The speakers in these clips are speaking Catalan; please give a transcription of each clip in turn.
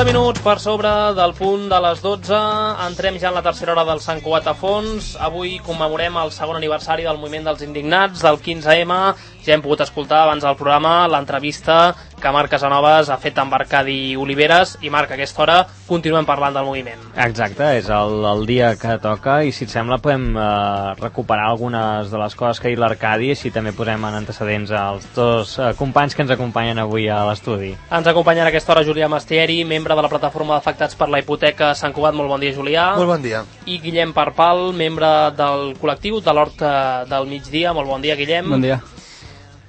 minuts per sobre del punt de les 12, entrem ja en la tercera hora del Sant Cugat a fons. Avui commemorem el segon aniversari del moviment dels indignats, del 15M. Ja hem pogut escoltar abans del programa l'entrevista que Marc Casanovas ha fet amb Arcadi Oliveres, i Marc, a aquesta hora continuem parlant del moviment. Exacte, és el dia que toca, i si et sembla podem recuperar algunes de les coses que ha dit l'Arcadi, i així també posem en antecedents als dos companys que ens acompanyen avui a l'estudi. Ens acompanya a aquesta hora Julià Mastieri, membre de la plataforma d'afectats per la hipoteca Sant Cugat. Molt bon dia, Julià. Molt bon dia. I Guillem Parpal, membre del col·lectiu de l'Hort del Migdia. Molt bon dia, Guillem. Bon dia.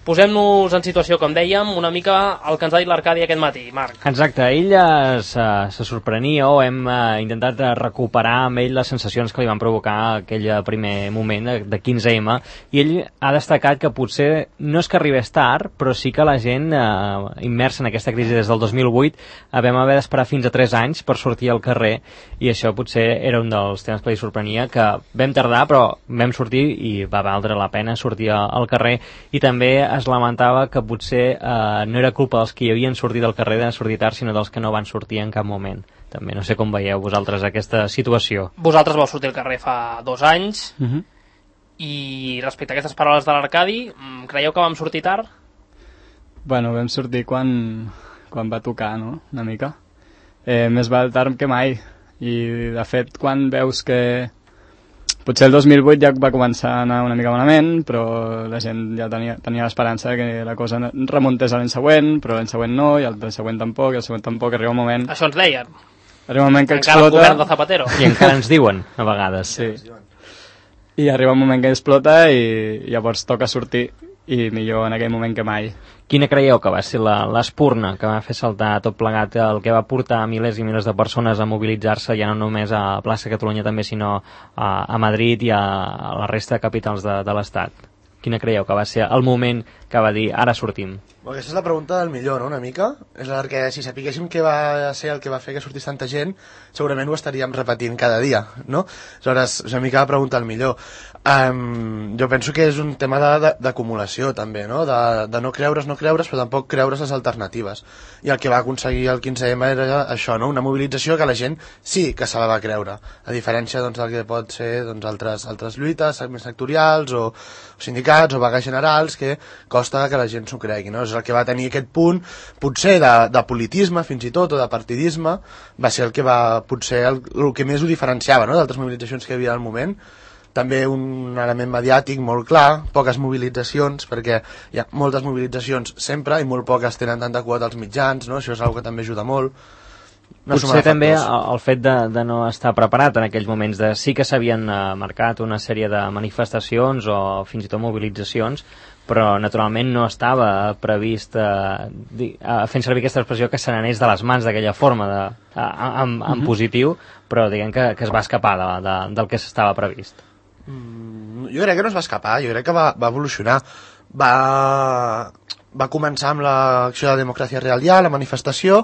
Posem-nos en situació, com dèiem, una mica el que ens ha dit l'Arcadi aquest matí, Marc. Exacte, ell se sorprenia, o hem intentat recuperar amb ell les sensacions que li van provocar aquell primer moment de 15M, i ell ha destacat que potser no és que arribés tard, però sí que la gent immersa en aquesta crisi des del 2008 vam haver d'esperar fins a 3 anys per sortir al carrer, i això potser era un dels temes que li sorprenia, que vam tardar però vam sortir i va valdre la pena sortir al carrer. I també es lamentava que potser no era culpa dels que hi havien sortit al carrer de sortir tard, sinó dels que no van sortir en cap moment. També no sé com veieu vosaltres aquesta situació. Vosaltres vau sortir al carrer fa 2 anys, i respecte a aquestes paraules de l'Arcadi, creieu que vam sortir tard? Bueno, vam sortir quan va tocar, no?, una mica. Més val tard que mai, i de fet quan veus que potser el 2008 ja va començar a anar una mica malament, però la gent ja tenia l'esperança que la cosa remuntés a l'any següent, però l'any següent no, i el següent tampoc, i el següent tampoc. Arriba un moment... Això ens deien. Arriba un moment que encara explota... el govern de Zapatero. I encara ens diuen, a vegades. Sí. I arriba un moment que explota i llavors toca sortir, i millor en aquell moment que mai. Quina creieu que va ser l'espurna que va fer saltar tot plegat, el que va portar milers i milers de persones a mobilitzar-se, ja no només a Plaça Catalunya també, sinó a Madrid i a la resta de capitals de l'Estat? Quina creieu que va ser el moment que va dir ara sortim? Aquesta és la pregunta del millor, no?, una mica. És la que si sapiguéssim què va ser el que va fer que sortís tanta gent, segurament ho estaríem repetint cada dia, no? Aleshores, és una mica la pregunta del millor. Jo penso que és un tema d'acumulació també, no?, de no creure's, però tampoc creure's les alternatives. I el que va aconseguir el 15M era això, no?, una mobilització que la gent sí que se la va creure, a diferència del que pot ser altres lluites més sectorials o sindicats o vagues generals, que costa que la gent s'ho cregui, no? És el que va tenir aquest punt, potser de politisme fins i tot, o de partidisme, va ser el que va, potser el que més ho diferenciava, no?, d'altres mobilitzacions que hi havia al moment. També un element mediàtic molt clar, poques mobilitzacions, perquè hi ha moltes mobilitzacions sempre i molt poques tenen tanta quota als mitjans, no? Això és una cosa que també ajuda molt. Potser també el fet de no estar preparat en aquells moments, de sí que s'havien marcat una sèrie de manifestacions o fins i tot mobilitzacions, però naturalment no estava previst fent servir aquesta expressió que se n'anés de les mans d'aquella forma en positiu, però diguem que es va escapar del que s'estava previst. Jo crec que no es va escapar, jo crec que va evolucionar. Va començar amb l'acció de Democràcia Real Ja, la manifestació.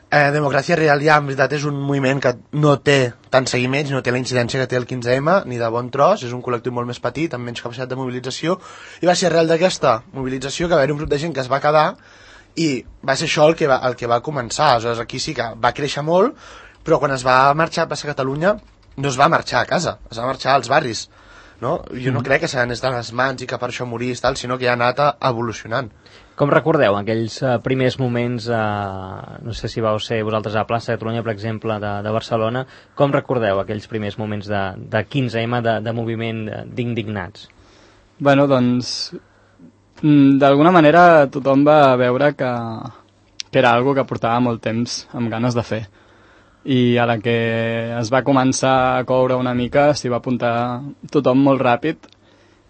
Democràcia Real Ja, en veritat, és un moviment que no té tant seguiments, no té la incidència que té el 15M, ni de bon tros, és un col·lectiu molt més petit, amb menys capacitat de mobilització, i va ser arrel d'aquesta mobilització que va haver un grup de gent que es va quedar, i va ser això el que va començar. Aleshores, aquí sí que va créixer molt, però quan es va marxar a Plaça Catalunya no es va marxar a casa, es va marxar als barris, no? Jo no crec que se n'anés de les mans i que per això morís, sinó que ja ha anat evolucionant. Com recordeu aquells primers moments, no sé si vau ser vosaltres a Plaça Catalunya, per exemple, de Barcelona, com recordeu aquells primers moments de 15M, de moviment d'indignats? Bueno, doncs, d'alguna manera tothom va veure que era algo que portava molt temps amb ganes de fer. I a la que es va començar a coure una mica s'hi va apuntar tothom molt ràpid,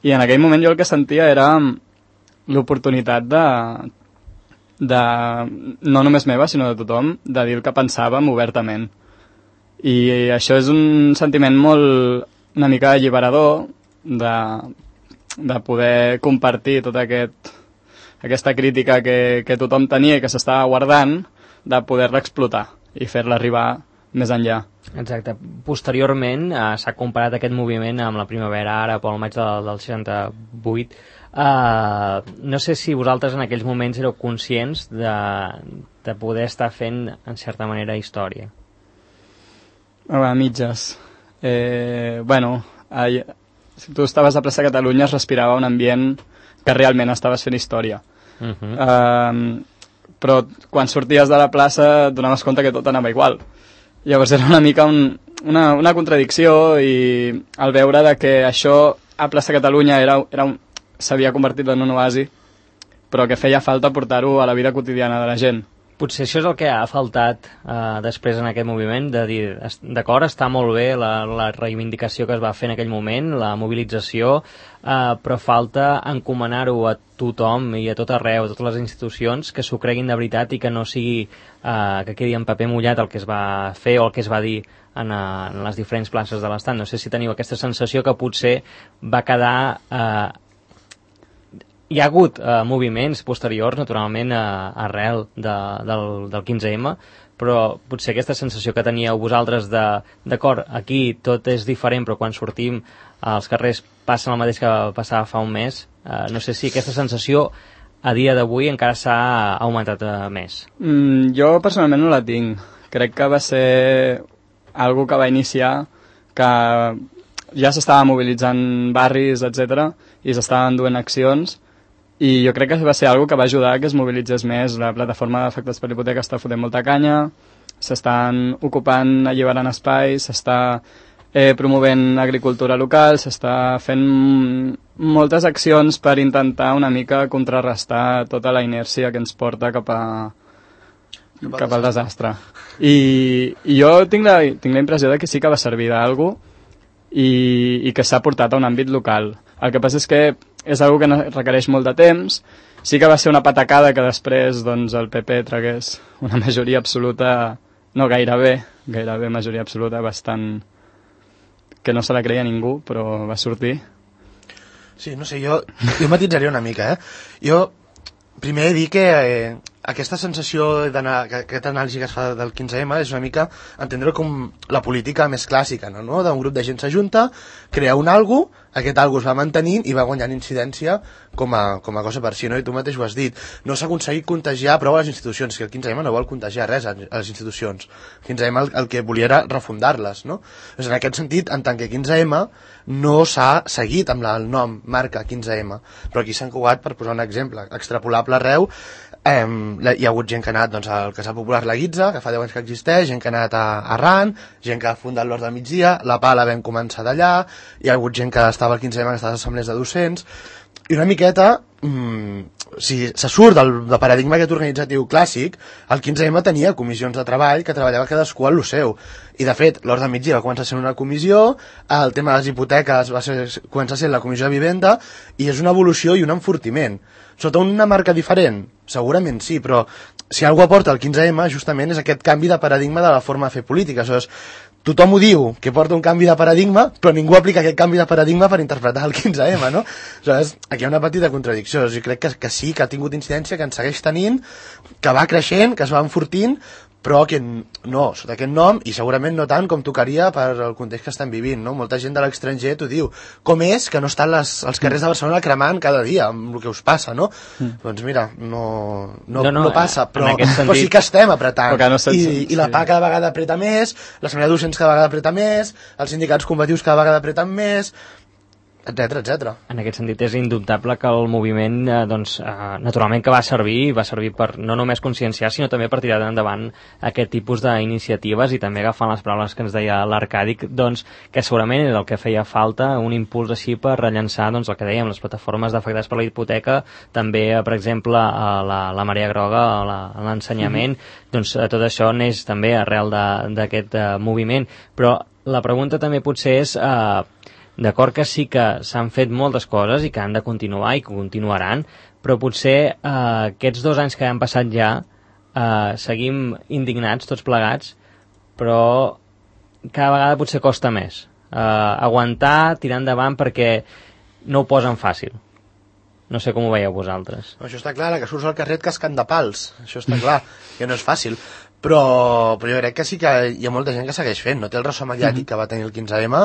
i en aquell moment jo el que sentia era l'oportunitat de no només meva sinó de tothom, de dir el que pensàvem obertament, i això és un sentiment molt una mica alliberador de poder compartir tota aquesta crítica que tothom tenia i que s'estava guardant, de poder-la explotar i fer-la arribar més enllà. Exacte. Posteriorment s'ha comparat aquest moviment amb la primavera àrab o el maig del 68. no sé si vosaltres en aquells moments éreu conscients de poder estar fent, en certa manera, història. A mitges. Si tu estaves a plaça Catalunya es respirava un ambient que realment estaves fent història. Però quan sorties de la plaça et donaves compte que tot anava igual. Llavors era una mica una contradicció, i al veure de que això a plaça Catalunya s'havia convertit en un oasi, però que feia falta portar-ho a la vida quotidiana de la gent. Potser això és el que ha faltat després en aquest moviment, de dir, d'acord, està molt bé la reivindicació que es va fer en aquell moment, la mobilització, però falta encomanar-ho a tothom i a tot arreu, a totes les institucions, que s'ho creguin de veritat i que no sigui que quedi en paper mullat el que es va fer o el que es va dir en les diferents places de l'Estat. No sé si teniu aquesta sensació que potser va quedar... Hi ha hagut moviments posteriors, naturalment, arrel del 15M, però potser aquesta sensació que teníeu vosaltres d'acord, aquí tot és diferent, però quan sortim als carrers passa el mateix que passava fa un mes, no sé si aquesta sensació a dia d'avui encara s'ha augmentat més. Jo personalment no la tinc. Crec que va ser algo que va iniciar, que ja s'estava mobilitzant barris, etc, i s'estaven duent accions, i jo crec que va ser algo que va ajudar a que es mobilitzés més. La plataforma d'afectats per l'hipoteca està fotent molta canya, s'estan ocupant, alliberant espais, s'està promovent agricultura local, s'està fent moltes accions per intentar una mica contrarrestar tota la inèrcia que ens porta cap al desastre. I jo tinc la impressió de que sí que va servir d'algú i que s'ha portat a un àmbit local. El que passa és que és una que requereix molt de temps. Sí que va ser una patacada que després doncs, el PP tragués una majoria absoluta, no gairebé majoria absoluta, bastant que no se la creia ningú, però va sortir. Sí, no sé, jo matitzaré una mica, Jo primer he dit que aquesta sensació, aquesta anàlisi que es fa del 15M és una mica entendre com la política més clàssica, no? D'un grup de gent s'ajunta, crea un algo, aquest algo es va mantenint i va guanyant incidència com a cosa per si, no? I tu mateix ho has dit. No s'ha aconseguit contagiar prou a les institucions, que el 15M no vol contagiar res a les institucions. El 15M el que volia era refundar-les, no? Doncs en aquest sentit, en tant que 15M, no s'ha seguit amb el nom marca 15M, però aquí s'han cugat, per posar un exemple extrapolable arreu. Hi ha hagut gent que ha anat al Casal Popular La Guitza, que fa 10 anys que existeix, gent que ha anat a Arran, gent que ha fundat l'Hort del Migdia, la Pala vam començar d'allà, hi ha hagut gent que estava al 15M, que estava a les assemblees de docents, i una miqueta, si se surt del paradigma aquest organitzatiu clàssic, el 15M tenia comissions de treball que treballava cadascú en lo seu, i de fet l'Hort del Migdia va començar sent una comissió, el tema de les hipoteques va començar sent la comissió de vivenda, i és una evolució i un enfortiment. Sota una marca diferent? Segurament sí, però si algú aporta el 15M justament és aquest canvi de paradigma de la forma de fer política. Aleshores, tothom ho diu, que porta un canvi de paradigma, però ningú aplica aquest canvi de paradigma per interpretar el 15M, no? Aleshores, aquí hi ha una petita contradicció. Jo crec que sí, que ha tingut incidència, que en segueix tenint, que va creixent, que es va enfortint, però que no, sota aquest nom, i segurament no tant com tocaria per el context que estem vivint, no? Molta gent de l'estranger t'ho diu. Com és que no estan als carrers de Barcelona cremant cada dia amb el que us passa, no? Doncs mira, no passa, però sí que estem apretant. I la PA cada vegada apreta més, l'Assemblea de Docents cada vegada apreta més, els sindicats combatius cada vegada apreten més, etc. En aquest sentit és indubtable que el moviment naturalment que va servir per no només conscienciar, sinó també per tirar endavant aquest tipus d'iniciatives, i també agafant les paraules que ens deia l'Arcadi, doncs, que segurament és el que feia falta, un impuls així per rellençar el que dèiem, les plataformes d'afectats per la hipoteca, també, per exemple, la Marea Groga, l'ensenyament, doncs tot això neix també arrel d'aquest moviment. Però la pregunta també potser és... D'acord que sí que s'han fet moltes coses i que han de continuar i que continuaran, però potser aquests 2 anys que han passat ja seguim indignats tots plegats, però cada vegada potser costa més aguantar, tirar endavant, perquè no ho posen fàcil. No sé com ho veieu vosaltres. Això està clar, que surts al carrer cascant de pals, això està clar, que no és fàcil. però jo crec que sí que hi ha molta gent que segueix fent, no té el ressò mediàtic que va tenir el 15M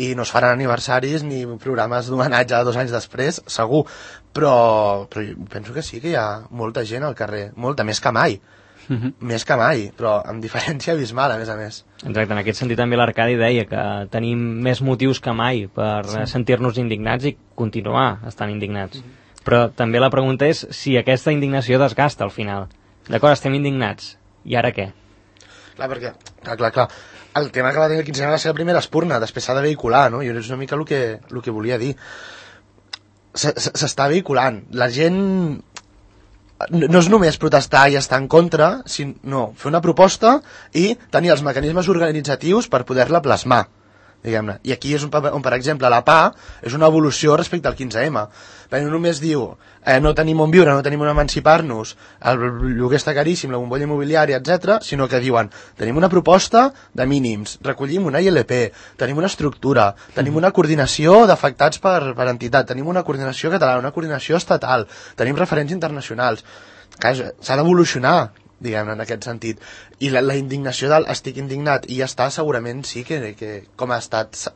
i no es faran aniversaris ni programes d'homenatge 2 anys després, segur, però penso que sí que hi ha molta gent al carrer, molta, més que mai. Més que mai, però amb diferència abismal, a més. Exacte, en aquest sentit també l'Arcadi deia que tenim més motius que mai per sentir-nos indignats i continuar estant indignats. Però també la pregunta és si aquesta indignació desgasta al final. D'acord, estem indignats, i ara què? Clar, perquè, clar, el tema que va tenir el 15M va ser la primera espurna, després s'ha de vehicular, no? I és una mica el que volia dir. S'està vehiculant. La gent no és només protestar i estar en contra, sinó fer una proposta i tenir els mecanismes organitzatius per poder-la plasmar, diguem-ne. I aquí és on, per exemple, la PA és una evolució respecte al 15M. Perquè no només diu no tenim on viure, no tenim on emancipar-nos, el lloguer està caríssim, la bombolla immobiliària, etc., sinó que diuen tenim una proposta de mínims, recollim una ILP, tenim una estructura, tenim una coordinació d'afectats per entitat, tenim una coordinació catalana, una coordinació estatal, tenim referents internacionals. Clar, s'ha d'evolucionar, diguem-ne, en aquest sentit. I la indignació del estic indignat i ja està, segurament sí que com ha estat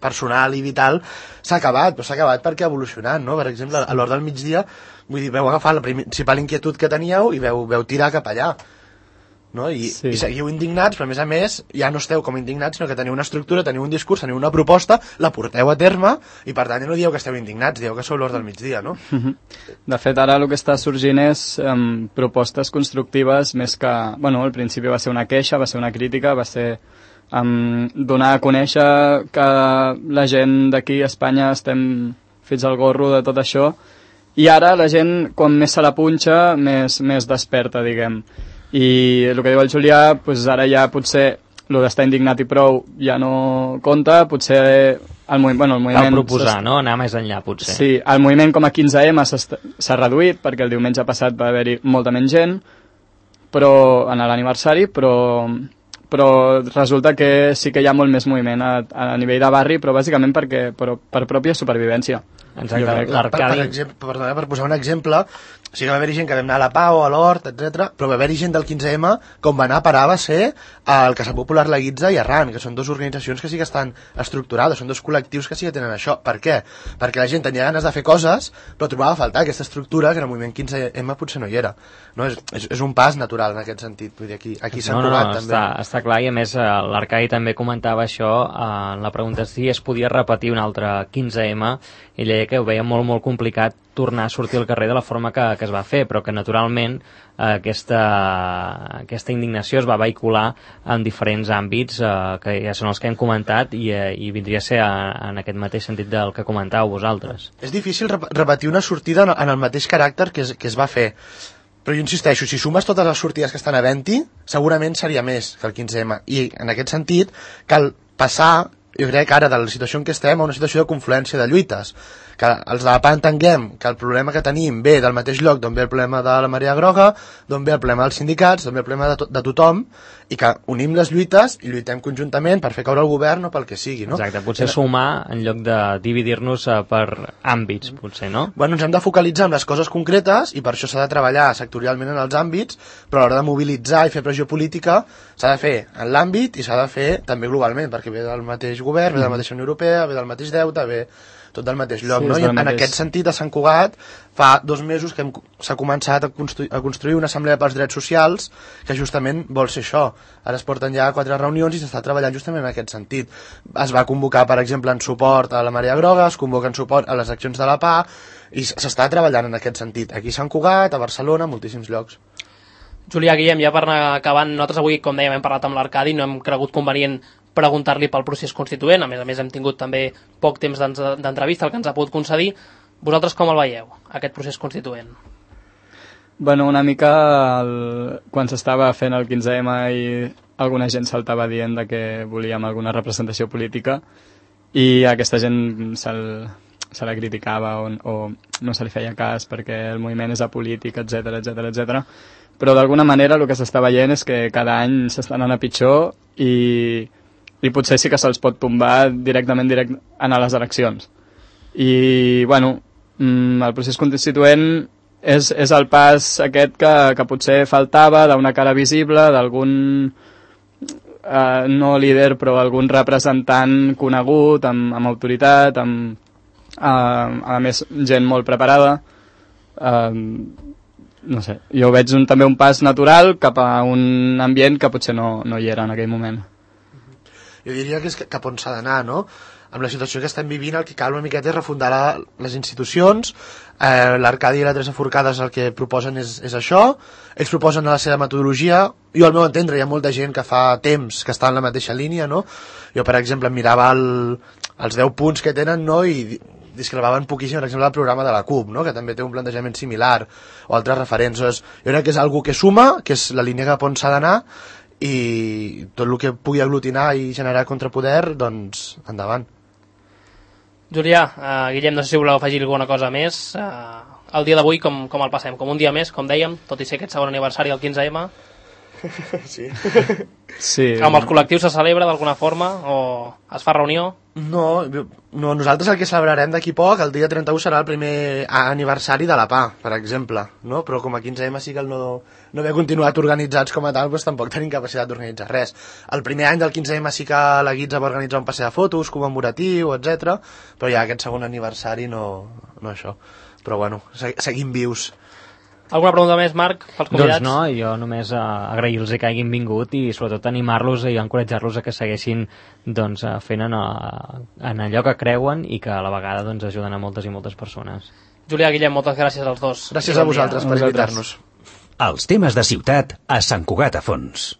personal i vital s'ha acabat, però s'ha acabat perquè ha evolucionat, no? Per exemple, a l'hora del migdia, vull dir, veu agafar la principal inquietud que teníeu i veu tirar cap allà, no? I seguiu indignats, però a més ja no esteu com indignats, sinó que teniu una estructura, teniu un discurs, teniu una proposta, la porteu a terme i per tant ja no dieu que esteu indignats, dieu que sou l'hora del migdia, no? De fet, ara el que està sorgint és propostes constructives més que... Bueno, al principi va ser una queixa, va ser una crítica, va ser donar a conèixer que la gent d'aquí a Espanya estem fins al gorro de tot això, i ara la gent, quan més se la punxa, més desperta, diguem. I el que diu el Julià, doncs ara ja potser el d'estar indignat i prou ja no compta, potser el moviment... Cal proposar, no? Anar més enllà, potser. Sí, el moviment com a 15M s'ha reduït, perquè el diumenge passat va haver-hi molta menys gent, però en l'aniversari, però resulta que sí que hi ha molt més moviment a nivell de barri, però bàsicament per pròpia supervivència. Exacte, l'Arcadi... Per posar un exemple, o sigui que va haver-hi gent que vam anar a la Pau, a l'Hort, etc. Però va haver-hi gent del 15M com va anar a parar va ser el Casa Popular La Guitza i Arran, que són dues organitzacions que sí que estan estructurades, són dos col·lectius que sí que tenen això. Per què? Perquè la gent tenia ganes de fer coses, però trobava a faltar aquesta estructura que en el moviment 15M potser no hi era. No? És un pas natural en aquest sentit. Vull dir, aquí s'ha trobat també. Està clar, i a més l'Arcadi també comentava això en la pregunta si es podia repetir un altre 15M, i ell deia que ho veia molt, molt complicat tornar a sortir al carrer de la forma que es va fer, però que naturalment aquesta indignació es va vehicular en diferents àmbits que ja són els que hem comentat i vindria a ser en aquest mateix sentit del que comentàveu vosaltres. És difícil repetir una sortida en el mateix caràcter que es va fer, però jo insisteixo, si sumes totes les sortides que estan havent-hi, segurament seria més que el 15M, i en aquest sentit cal passar, jo crec, ara de la situació en què estem a una situació de confluència de lluites, que els de la PA entenguem que el problema que tenim ve del mateix lloc d'on ve el problema de la marea groga, d'on ve el problema dels sindicats, d'on ve el problema de tothom, i que unim les lluites i lluitem conjuntament per fer caure el govern o pel que sigui, no? Exacte, potser sumar en lloc de dividir-nos per àmbits, potser, no? Bueno, ens hem de focalitzar en les coses concretes i per això s'ha de treballar sectorialment en els àmbits, però a l'hora de mobilitzar i fer pressió política s'ha de fer en l'àmbit i s'ha de fer també globalment, perquè ve del mateix govern, ve de la mateixa Unió Europea, ve del mateix deute, ve tot del mateix lloc, sí, no? I en aquest sentit a Sant Cugat fa 2 mesos que s'ha començat a construir una assemblea pels drets socials que justament vol ser això. Ara es porten ja 4 reunions i s'està treballant justament en aquest sentit. Es va convocar, per exemple, en suport a la Marea Groga, es convoca en suport a les accions de la PA i s'està treballant en aquest sentit. Aquí a Sant Cugat, a Barcelona, a moltíssims llocs. Julià, Guillem, ja per anar acabant, nosaltres avui, com dèiem, hem parlat amb l'Arcadi, no hem cregut convenient preguntar-li pel procés constituent, a més hem tingut també poc temps d'entrevista, el que ens ha pogut concedir. Vosaltres com el veieu, aquest procés constituent? Bueno, una mica quan s'estava fent el 15M i alguna gent saltava dient que volíem alguna representació política i aquesta gent se la criticava o no se li feia cas perquè el moviment és apolític, etc. Però d'alguna manera el que s'està veient és que cada any s'està anant a pitjor i potser sí que se'ls pot tombar directament a les eleccions. I, bueno, el procés constituent és el pas aquest que potser faltava, d'una cara visible, d'algun no líder, però algun representant conegut, amb autoritat, a més gent molt preparada. No sé, jo veig també un pas natural cap a un ambient que potser no hi era en aquell moment. Jo diria que és cap on s'ha d'anar, no? Amb la situació que estem vivint, el que cal una miqueta és refundar les institucions. L'Arcadi i la Teresa Forcades el que proposen és això. Ells proposen la seva metodologia. Jo, al meu entendre, hi ha molta gent que fa temps que està en la mateixa línia, no? Jo, per exemple, em mirava els 10 punts que tenen, no? I discrepaven poquíssim, per exemple, el programa de la CUP, no? Que també té un plantejament similar, o altres referents. Jo crec que és algo que suma, que és la línia cap on s'ha d'anar, i tot el que pugui aglutinar i generar contrapoder, doncs endavant. Julià, Guillem, no sé si voleu afegir alguna cosa més. El dia d'avui com el passem? Com un dia més, com dèiem, tot i ser aquest segon aniversari del 15M? Sí. Sí. Amb els col·lectius se celebra d'alguna forma o es fa reunió? No, nosaltres el que celebrarem d'aquí poc, el dia 31 serà el primer aniversari de la PA, per exemple, no? Però com a 15M sí que el no haver continuat organitzats com a tal, doncs tampoc tenim capacitat d'organitzar res. El primer any del 15M sí que la Guitza va organitzar un passeig de fotos commemoratiu, etc. Però ja aquest segon aniversari no això. Però bueno, seguim vius. Alguna pregunta més, Marc, pels convidats? Doncs no, jo només agrair-los que hagin vingut i sobretot animar-los i encoratjar-los a que segueixin doncs, fent en allò que creuen i que a la vegada doncs, ajuden a moltes i moltes persones. Julià, Guillem, moltes gràcies als dos. Gràcies a vosaltres per invitar-nos. Els temes de ciutat a Sant Cugat a Fons.